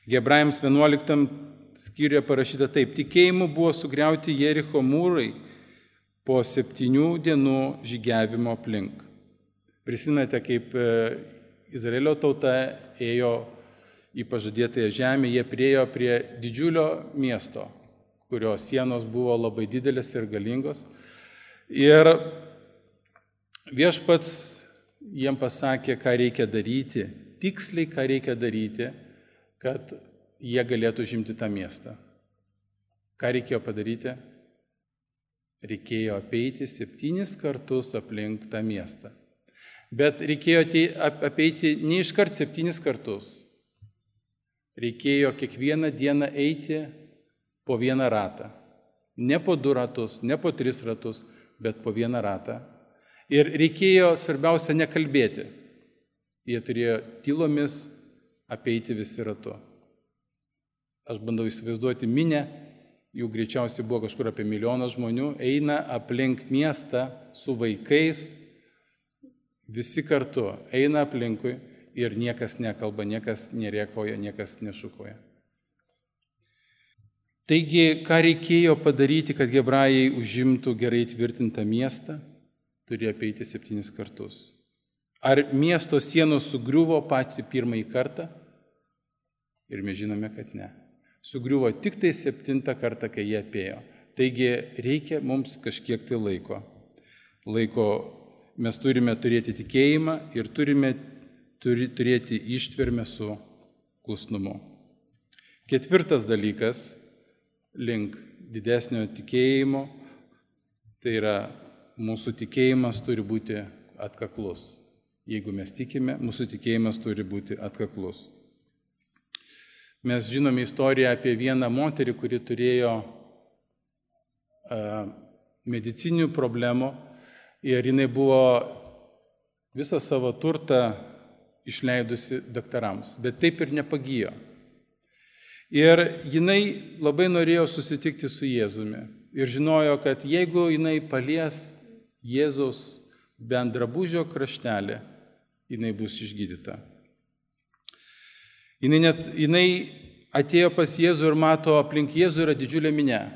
Hebrajams vienuoliktam skyriuje parašyta taip, tikėjimu buvo sugriauti Jericho mūrai po septynių dienų žygiavimo aplink. Prisimenate, kaip Izraelio tauta ėjo į pažadėtąją žemę, jie priėjo prie didžiulio miesto, kurio sienos buvo labai didelės ir galingos. Ir viešpats jiem pasakė, ką reikia daryti, tiksliai ką reikia daryti, kad jie galėtų žimti tą miestą. Ką reikėjo padaryti? Reikėjo apeiti septynis kartus aplink tą miestą. Bet reikėjo apeiti ne iškart septynis kartus. Reikėjo kiekvieną dieną eiti po vieną ratą. Ne po du ratus, ne po tris ratus, bet po vieną ratą. Ir reikėjo, svarbiausia, nekalbėti. Jie turėjo tylomis apeiti visi ratu. Aš bandau įsivaizduoti minę, jų greičiausiai buvo kažkur apie milijoną žmonių, eina aplink miestą su vaikais, visi kartu eina aplinkui ir niekas nekalba, niekas nerėkauja, niekas nešukoja. Taigi, ką reikėjo padaryti, kad hebrajai užimtų gerai tvirtintą miestą, turėjo apeiti septynis kartus. Ar miesto sienos sugriuvo patį pirmąjį kartą? Ir mes žinome, kad ne. Sugriuvo tik tai septintą kartą, kai jie apėjo. Taigi reikia mums kažkiek tai laiko. Laiko mes turime turėti tikėjimą ir turime turi, turėti ištvermę su klusnumu. Ketvirtas dalykas link didesnio tikėjimo, tai yra mūsų tikėjimas turi būti atkaklus. Jeigu mes tikime, mūsų tikėjimas turi būti atkaklus. Mes žinome istoriją apie vieną moterį, kuri turėjo uh, medicinių problemų ir jinai buvo visą savo turtą išleidusi daktarams, bet taip ir nepagijo. Ir jinai labai norėjo susitikti su Jėzumi ir žinojo, kad jeigu jinai palies Jėzaus bent drabužio kraštelį, jinai bus išgydyta. Jinai, net, jinai atėjo pas Jėzų ir mato, aplink Jėzų yra didžiulė minia.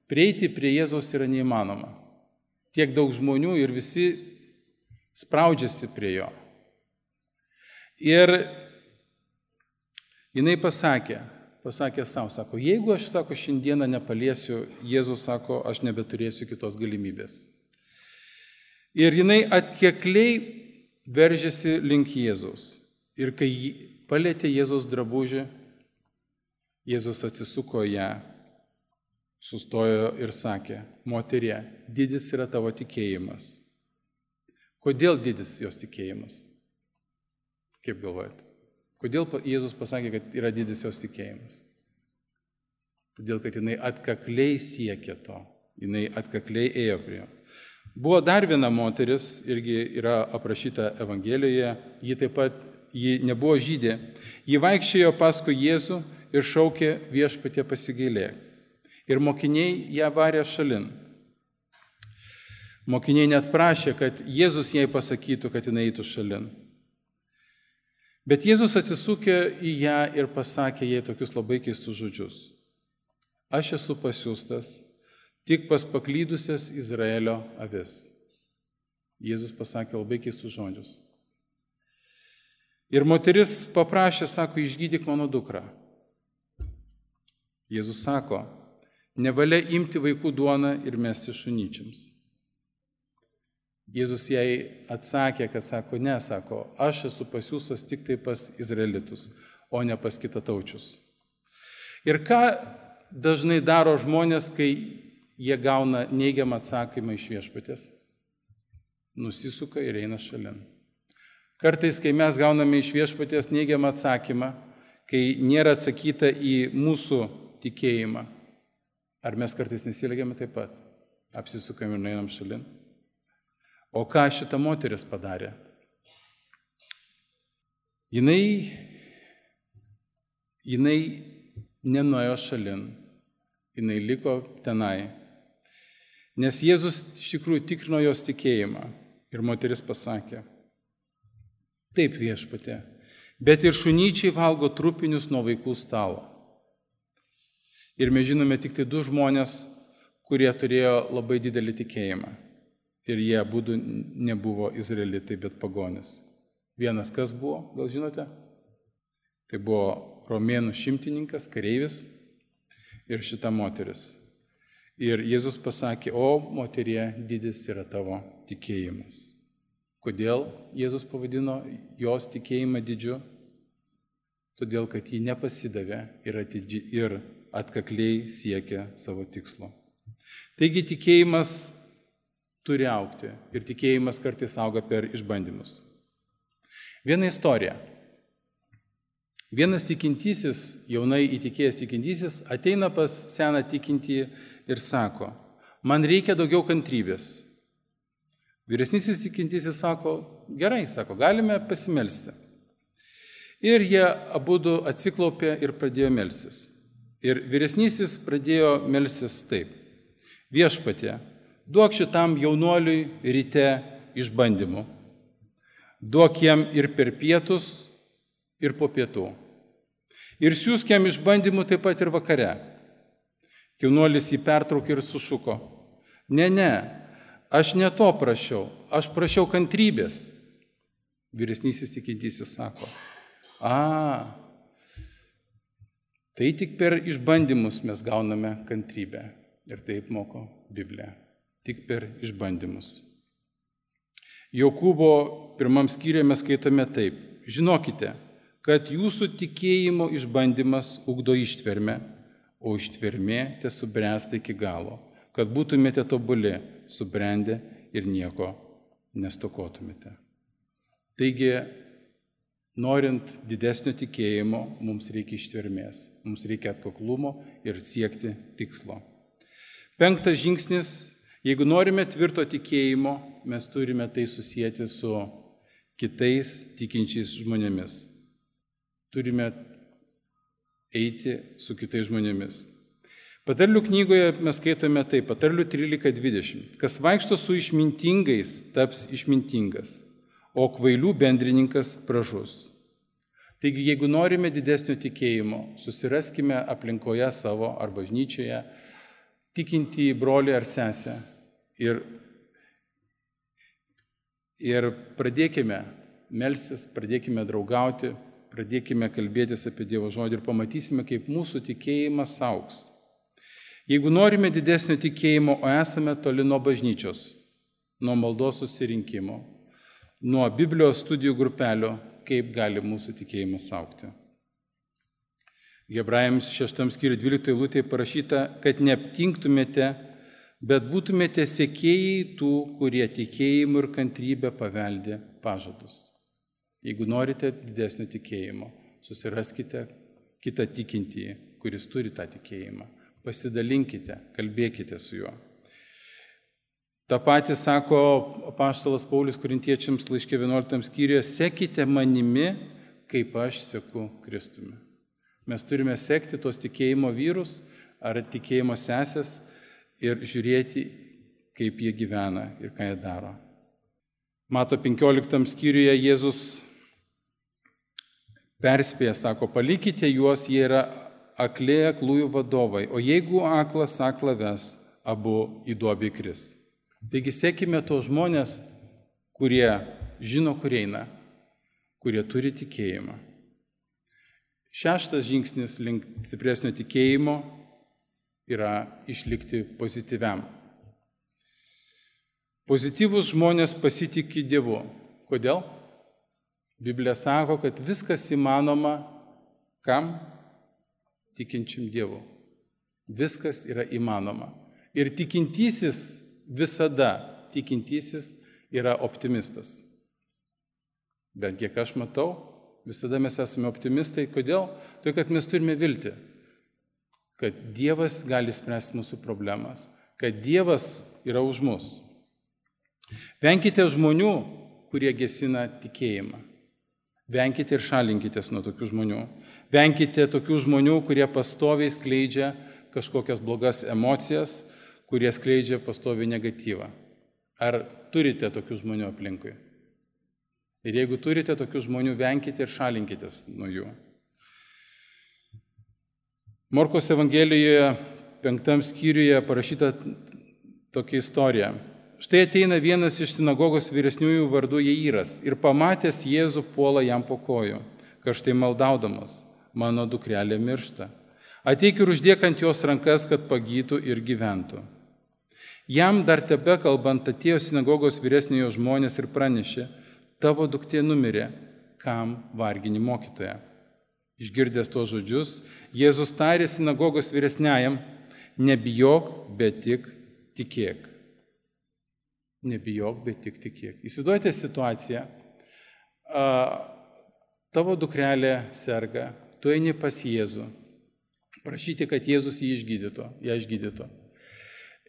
Prieiti prie Jėzaus yra neįmanoma. Tiek daug žmonių ir visi spraudžiasi prie jo. Ir jinai pasakė, pasakė savo, sako, jeigu aš, sako, šiandieną nepaliesiu, Jėzus sako, aš nebeturėsiu kitos galimybės. Ir jinai atkekliai veržėsi link Jėzaus. Ir kai palietė Jėzaus drabužį, Jėzus atsisuko ją, sustojo ir sakė, moterie, didis yra tavo tikėjimas. Kodėl didis jos tikėjimas? Kaip galvojate? Kodėl Jėzus pasakė, kad yra didis jos tikėjimas? Todėl, kad jinai atkakliai siekė to, jinai atkakliai ėjo prie jo. Buvo dar viena moteris, irgi yra aprašyta Evangelijoje, ji taip pat, ji nebuvo žydė, ji vaikščiojo paskui Jėzų ir šaukė viešpatie pasigailėk. Ir mokiniai ją varė šalin. Mokiniai net prašė, kad Jėzus jai pasakytų, kad jinai eitų šalin. Bet Jėzus atsisukė į ją ir pasakė jai tokius labai keistus žodžius. Aš esu pasiųstas tik pas paklydusias Izraelio avis. Jėzus pasakė labai keistus žodžius. Ir moteris paprašė, sako, išgydyk mano dukrą. Jėzus sako, nevalia imti vaikų duoną ir mesti šunyčiams. Jėzus jai atsakė, kad sako, ne, sako, aš esu pasiųstas tik tai pas izraelitus, o ne pas kitataučius. Ir ką dažnai daro žmonės, kai jie gauna neigiamą atsakymą iš viešpaties? Nusisuka ir eina šalin. Kartais, kai mes gauname iš viešpaties neigiamą atsakymą, kai nėra atsakyta į mūsų tikėjimą, ar mes kartais nesielgiame taip pat? Apsisukame ir nueinam šalin. O ką šita moteris padarė? Jinai, jinai nenuėjo šalin, jinai liko tenai, nes Jėzus iš tikrųjų tikrino jos tikėjimą. Ir moteris pasakė, taip viešpatie, bet ir šunyčiai valgo trupinius nuo vaikų stalo. Ir mes žinome tik tai du žmonės, kurie turėjo labai didelį tikėjimą. Ir jie abudu nebuvo izraelitai, bet pagonis. Vienas kas buvo, gal žinote? Tai buvo romėnų šimtininkas, kareivis ir šita moteris. Ir Jėzus pasakė, o moterie, didis yra tavo tikėjimas. Kodėl Jėzus pavadino jos tikėjimą didžiu? todėl kad ji nepasidavė ir, atidži, ir atkakliai siekia savo tikslo. Taigi tikėjimas turi augti ir tikėjimas kartais auga per išbandymus. Viena istorija. Vienas tikintysis, jaunai įtikėjęs tikintysis, ateina pas seną tikintį ir sako, man reikia daugiau kantrybės. Vyresnysis tikintysis sako, gerai, sako, galime pasimelsti. Ir jie abudu atsiklaupė ir pradėjo melstis. Ir vyresnysis pradėjo melstis taip. Viešpatie, duok šitam jaunuoliui ryte išbandymų. Duok jam ir per pietus, ir po pietų. Ir siūsk jam išbandymų taip pat ir vakare. Jaunuolis jį pertraukė ir sušuko. Ne, ne, aš ne to prašiau, aš prašiau kantrybės. Vyresnysis tikintysis sako, a, tai tik per išbandymus mes gauname kantrybę. Ir taip moko Biblija. Tik per išbandymus. Jokūbo pirmam skyriuje mes skaitome taip. Žinokite, kad jūsų tikėjimo išbandymas ugdo ištvermę, o ištvermė tesubręsta iki galo, kad būtumėte tobuli, subrendę ir nieko nestokotumėte. Taigi, norint didesnio tikėjimo, mums reikia ištvermės, mums reikia atkaklumo ir siekti tikslo. Penktas žingsnis, jeigu norime tvirto tikėjimo, mes turime tai susijęti su kitais tikinčiais žmonėmis. Turime eiti su kitais žmonėmis. Patarlių knygoje mes skaitome taip, Patarlių trylika dvidešimt. Kas vaikšto su išmintingais, taps išmintingas, o kvailių bendrininkas pražus. Taigi, jeigu norime didesnio tikėjimo, susiraskime aplinkoje savo ar bažnyčioje tikintį brolį ar sesę ir, ir pradėkime melstis, pradėkime draugauti, pradėkime kalbėtis apie Dievo žodį ir pamatysime, kaip mūsų tikėjimas augs. Jeigu norime didesnio tikėjimo, o esame toli nuo bažnyčios, nuo maldos susirinkimo, nuo Biblijos studijų grupelio, kaip gali mūsų tikėjimas augti. Hebrajams šeštam skyriui dvyliktoje eilutėje parašyta, kad neaptingtumėte, bet būtumėte sekėjai tų, kurie tikėjimu ir kantrybę paveldė pažadus. Jeigu norite didesnio tikėjimo, susiraskite kitą tikintįjį, kuris turi tą tikėjimą. Pasidalinkite, kalbėkite su juo. Ta pati sako apaštalas Paulius Korintiečiams laiške vienuoliktam skyriuje, sekite manimi, kaip aš seku Kristumi. Mes turime sekti tos tikėjimo vyrus ar tikėjimo sesės ir žiūrėti, kaip jie gyvena ir ką jie daro. Mato penkioliktam skyriuje Jėzus perspėja, sako, palikite juos, jie yra akli aklųjų vadovai, o jeigu aklas aklą ves, abu į duobę įkris. Taigi sekime tos žmonės, kurie žino, kur eina, kurie turi tikėjimą. Šeštas žingsnis link stipresnio tikėjimo yra išlikti pozityviam. Pozityvus žmonės pasitikė Dievu. Kodėl? Biblija sako, kad viskas įmanoma kam? Tikinčiam Dievu. Viskas yra įmanoma. Ir tikintysis visada, tikintysis yra optimistas. Bet kiek aš matau, visada mes esame optimistai. Kodėl? Tai, kad mes turime viltį, kad Dievas gali spręsti mūsų problemas, kad Dievas yra už mus. Venkite žmonių, kurie gesina tikėjimą. Venkite ir šalinkitės nuo tokių žmonių. Venkite tokių žmonių, kurie pastoviai skleidžia kažkokias blogas emocijas, kurie skleidžia pastoviai negatyvą. Ar turite tokių žmonių aplinkui? Ir jeigu turite tokių žmonių, venkite ir šalinkitės nuo jų. Morkos Evangelijoje penktam skyriuje parašyta tokia istorija. Štai ateina vienas iš sinagogos vyresniųjų vardu Jairas ir pamatęs Jėzų puola jam po kojų, karštai maldaudamas, mano dukrelė miršta. Ateik ir uždėk ant jos rankas, kad pagytų ir gyventų. Jam dar tebe kalbant atėjo sinagogos vyresniojo žmonės ir pranešė, tavo duktė numirė, kam vargini mokytoją. Išgirdęs tuos žodžius, Jėzus tarė sinagogos vyresniajam, nebijok, bet tik tikėk. Nebijok, bet tik tikėk. Įsivaizduojate situaciją, a, tavo dukrelė serga, tu eini pas Jėzų, prašyti, kad Jėzus jį išgydytų, ją išgydytų.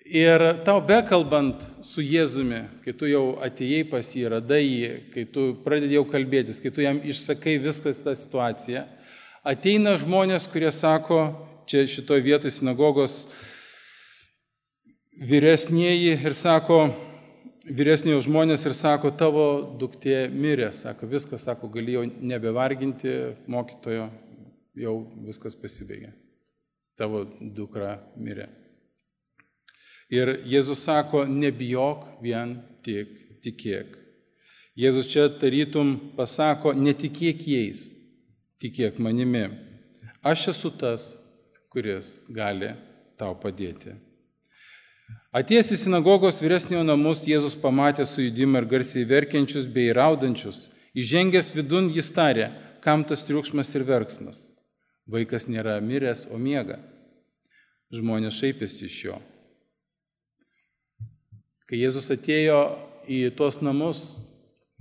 Ir tau bekalbant su Jėzumi, kai tu jau atėjai pas jį, radai jį, kai tu pradedi jau kalbėtis, kai tu jam išsakai viskas tą situaciją, ateina žmonės, kurie sako, čia šitoje vietoje sinagogos vyresnieji ir sako, vyresniojo žmonės ir sako, tavo duktė mirė, sako, viskas, sako, gali jau nebevarginti mokytojo, jau viskas pasibaigė, tavo dukra mirė. Ir Jėzus sako, nebijok, vien tik tikėk. Jėzus čia tarytum pasako, netikėk jais, tikėk manimi. Aš esu tas, kuris gali tau padėti. Atėjęs į sinagogos vyresniojo namus, Jėzus pamatė sujudimą ir garsiai verkiančius bei raudančius. Įžengęs vidun jis tarė, kam tas triukšmas ir verksmas. Vaikas nėra miręs, o miega. Žmonės šaipėsi iš jo. Kai Jėzus atėjo į tuos namus,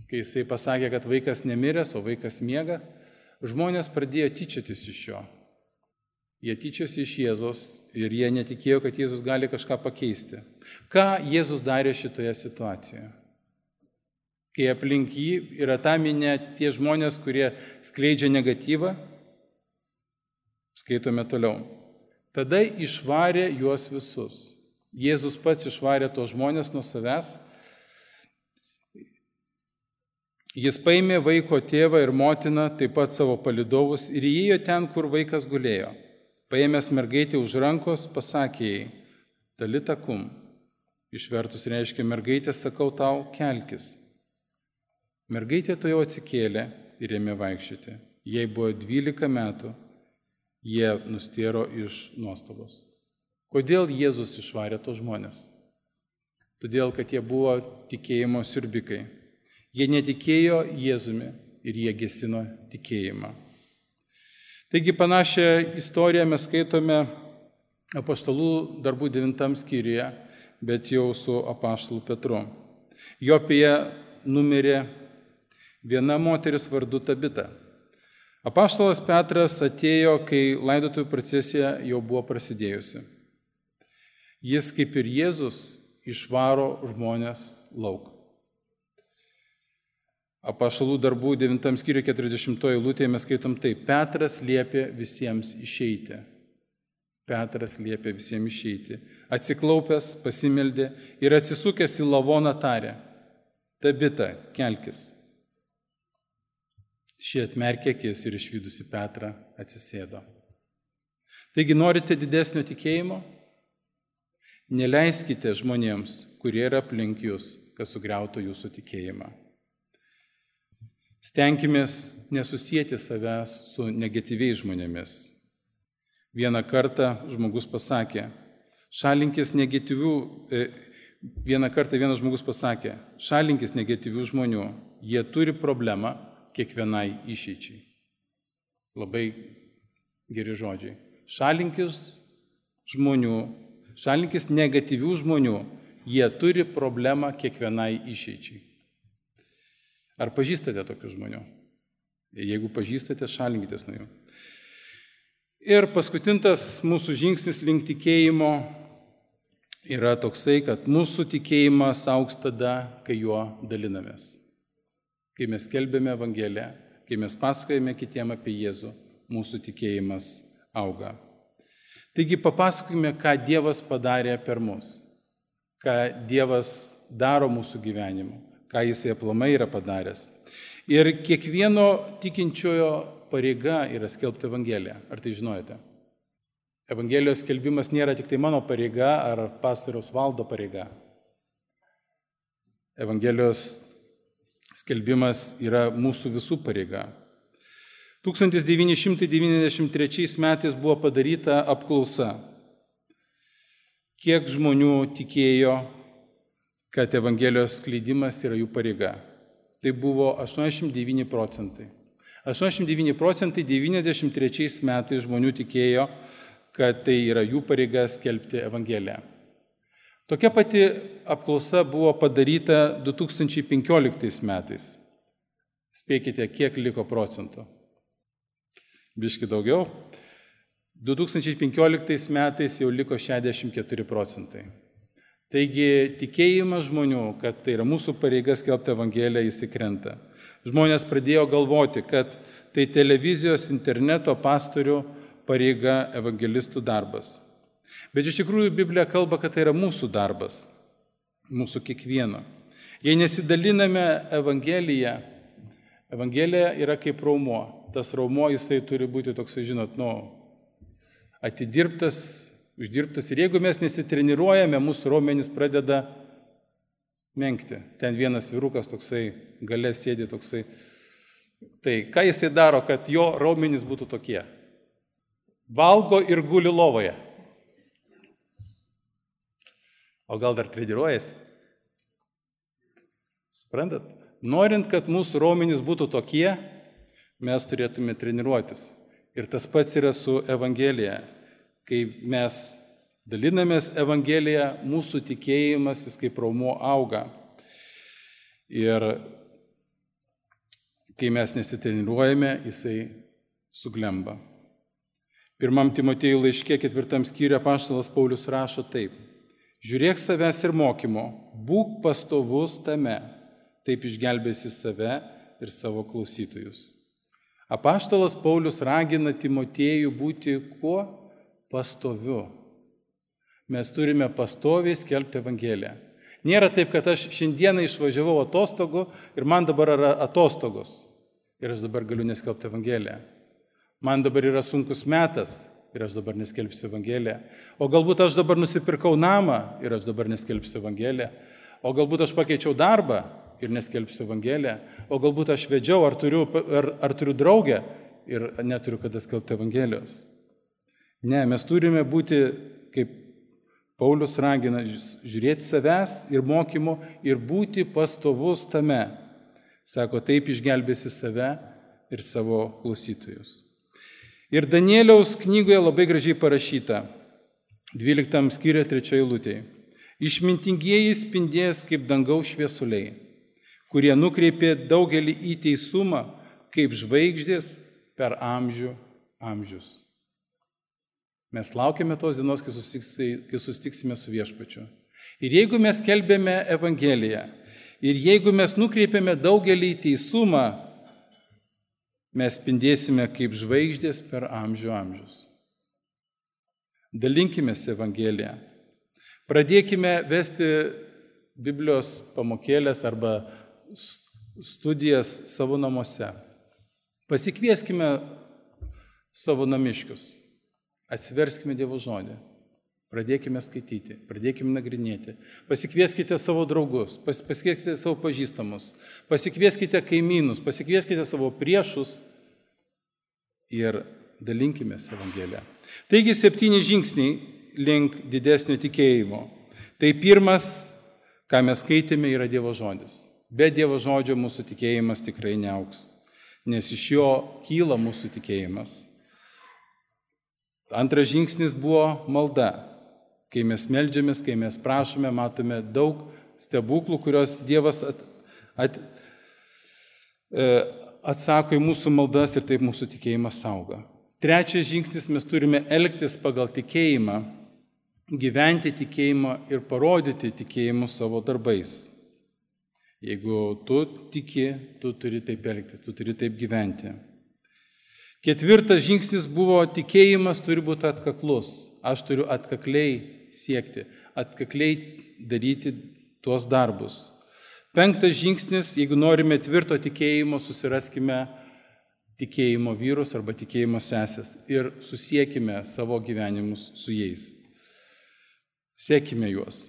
kai jisai pasakė, kad vaikas nemiręs, o vaikas miega, žmonės pradėjo tyčiotis iš jo. Jie tyčiosi iš Jėzus ir jie netikėjo, kad Jėzus gali kažką pakeisti. Ką Jėzus darė šitoje situacijoje? Kai aplink jį yra ta minė tie žmonės, kurie skleidžia negatyvą, skaitome toliau. Tada išvarė juos visus. Jėzus pats išvarė tos žmonės nuo savęs. Jis paėmė vaiko tėvą ir motiną, taip pat savo palydovus ir įėjo ten, kur vaikas gulėjo. Paėmęs mergaitę už rankos, pasakė jai, talita kum. Išvertus reiškia, mergaitė, sakau tau, kelkis. Mergaitė to jau atsikėlė ir ėmė vaikščioti. Jai buvo dvylika metų, jie nustėro iš nuostabos. Kodėl Jėzus išvarė tos žmonės? Todėl, kad jie buvo tikėjimo siurbikai. Jie netikėjo Jėzumi ir jie gesino tikėjimą. Taigi panašią istoriją mes skaitome apaštalų darbų devintam skyriuje, bet jau su apaštalu Petru. Jopėje numirė viena moteris vardu Tabita. Apaštalas Petras atėjo, kai laidotuvių procesija jau buvo prasidėjusi. Jis, kaip ir Jėzus, išvaro žmonės lauk. Apaštalų darbų devintam skyriuje keturiasdešimtoje eilutėje mes skaitom taip. Petras liepė visiems išeiti. Petras liepė visiems išeiti. Atsiklaupęs, pasimeldė ir atsisukęs į lavoną tarė. Tabita, kelkis. Ši atmerkė akis ir išvydusi Petrą atsisėdo. Taigi norite didesnio tikėjimo? Neleiskite žmonėms, kurie yra aplink jūs, kad sugriautų jūsų tikėjimą. Stenkimės nesusijęti savęs su negatyviais žmonėmis. Vieną kartą žmogus pasakė, šalinkis negatyvių, e, vieną kartą vienas žmogus pasakė, šalinkis negatyvių žmonių, jie turi problemą kiekvienai išeičiai. Labai geri žodžiai. Šalinkis žmonių, šalinkis negatyvių žmonių, jie turi problemą kiekvienai išeičiai. Ar pažįstate tokių žmonių? Jeigu pažįstate, šalinkitės nuo jų. Ir paskutintas mūsų žingsnis link tikėjimo yra toksai, kad mūsų tikėjimas augs tada, kai juo dalinamės. Kai mes skelbėme Evangeliją, kai mes pasakojame kitiem apie Jėzų, mūsų tikėjimas auga. Taigi papasakokime, ką Dievas padarė per mus, ką Dievas daro mūsų gyvenimu, ką Jisai aplamai yra padaręs. Ir kiekvieno tikinčiojo pareiga yra skelbti Evangeliją. Ar tai žinojate? Evangelijos skelbimas nėra tik tai mano pareiga ar pastoriaus Valdo pareiga. Evangelijos skelbimas yra mūsų visų pareiga. tūkstantis devyni šimtai devyniasdešimt trečiais metais buvo padaryta apklausa. Kiek žmonių tikėjo, kad Evangelijos skleidimas yra jų pareiga? Tai buvo aštuoniasdešimt devyni procentai. aštuoniasdešimt devyni procentai devyniasdešimt trečiais metais žmonių tikėjo, kad tai yra jų pareiga skelbti Evangeliją. Tokia pati apklausa buvo padaryta du tūkstančiai penkioliktais metais. Spėkite, kiek liko procentų. Biški daugiau. du tūkstančiai penkioliktais metais jau liko šešiasdešimt keturi procentai. Taigi tikėjimas žmonių, kad tai yra mūsų pareiga skelbti Evangeliją, jis įkrenta. Žmonės pradėjo galvoti, kad tai televizijos, interneto pastorių pareiga, evangelistų darbas. Bet iš tikrųjų Biblija kalba, kad tai yra mūsų darbas, mūsų kiekvieno. Jei nesidaliname Evangeliją, Evangelija yra kaip raumuo. Tas raumuo jisai turi būti toks, žinot, nu, atidirbtas, uždirbtas. Ir jeigu mes nesitreniruojame, mūsų raumenys pradeda menkti. Ten vienas vyrukas toksai, gale sėdi toksai. Tai ką jisai daro, kad jo raumenys būtų tokie? Valgo ir guli lovoje. O gal dar treniruojasi? Suprantat? Norint, kad mūsų raumenys būtų tokie, mes turėtume treniruotis. Ir tas pats yra su Evangelija. Kai mes dalinamės Evangeliją, mūsų tikėjimas, jis kaip raumuo auga. Ir kai mes nesitreniruojame, jisai suglemba. Pirmam Timotiejų laiške ketvirtam skyriuje apaštalas Paulius rašo taip. Žiūrėk savęs ir mokymo, būk pastovus tame, taip išgelbėsi save ir savo klausytojus. Apaštalas Paulius ragina Timotiejų būti kuo? Pastoviu. Mes turime pastoviai skelbti Evangeliją. Nėra taip, kad aš šiandieną išvažiavau atostogų ir man dabar yra atostogos. Ir aš dabar galiu neskelbti Evangeliją. Man dabar yra sunkus metas ir aš dabar neskelbsiu Evangeliją. O galbūt aš dabar nusipirkau namą ir aš dabar neskelbsiu Evangeliją. O galbūt aš pakeičiau darbą ir neskelbsiu Evangeliją. O galbūt aš vedžiau, ar turiu, ar, ar turiu draugę ir neturiu kada skelbti Evangelijos. Ne, mes turime būti, kaip Paulius ragina, žiūrėti savęs ir mokymo ir būti pastovus tame. Sako, taip išgelbėsi save ir savo klausytojus. Ir Danieliaus knygoje labai gražiai parašyta, dvyliktam skyriuje trečioje eilutėje. Išmintingieji spindės kaip dangaus šviesuliai, kurie nukreipė daugelį į teisumą, kaip žvaigždės per amžių amžius. Mes laukiame tos dienos, kai susitiksime su viešpačiu. Ir jeigu mes skelbėme Evangeliją, ir jeigu mes nukreipiame daugelį į teisumą, mes spindėsime kaip žvaigždės per amžių amžius. Dalinkimės Evangeliją. Pradėkime vesti Biblijos pamokėlės arba studijas savo namuose. Pasikvieskime savo namiškius. Atsiverskime Dievo žodį. Pradėkime skaityti, pradėkime nagrinėti. Pasikvieskite savo draugus, pas, pasikvieskite savo pažįstamus, pasikvieskite kaimynus, pasikvieskite savo priešus ir dalinkimės Evangeliją. Taigi septyni žingsniai link didesnio tikėjimo. Tai pirmas, ką mes skaitėme, yra Dievo žodis. Be Dievo žodžio mūsų tikėjimas tikrai neaugs, nes iš jo kyla mūsų tikėjimas. Antras žingsnis buvo malda. Kai mes meldžiamės, kai mes prašome, matome daug stebuklų, kurios Dievas at, at, atsako į mūsų maldas ir taip mūsų tikėjimas auga. Trečias žingsnis, mes turime elgtis pagal tikėjimą, gyventi tikėjimą ir parodyti tikėjimu savo darbais. Jeigu tu tiki, tu turi taip elgtis, tu turi taip gyventi. Ketvirtas žingsnis buvo tikėjimas turi būti atkaklus. Aš turiu atkakliai siekti, atkakliai daryti tuos darbus. Penktas žingsnis, jeigu norime tvirto tikėjimo, susiraskime tikėjimo vyrus arba tikėjimo sesės ir susiekime savo gyvenimus su jais. Siekime juos.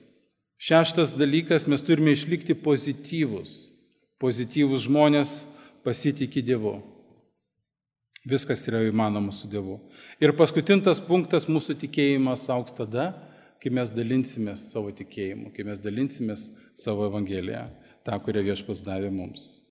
Šeštas dalykas, mes turime išlikti pozityvus. Pozityvus žmonės pasitikė Dievu. Viskas yra įmanoma su Dievu. Ir paskutintas punktas, mūsų tikėjimas augs tada, kai mes dalinsimės savo tikėjimu, kai mes dalinsimės savo Evangeliją, tą, kurią Viešpats davė mums.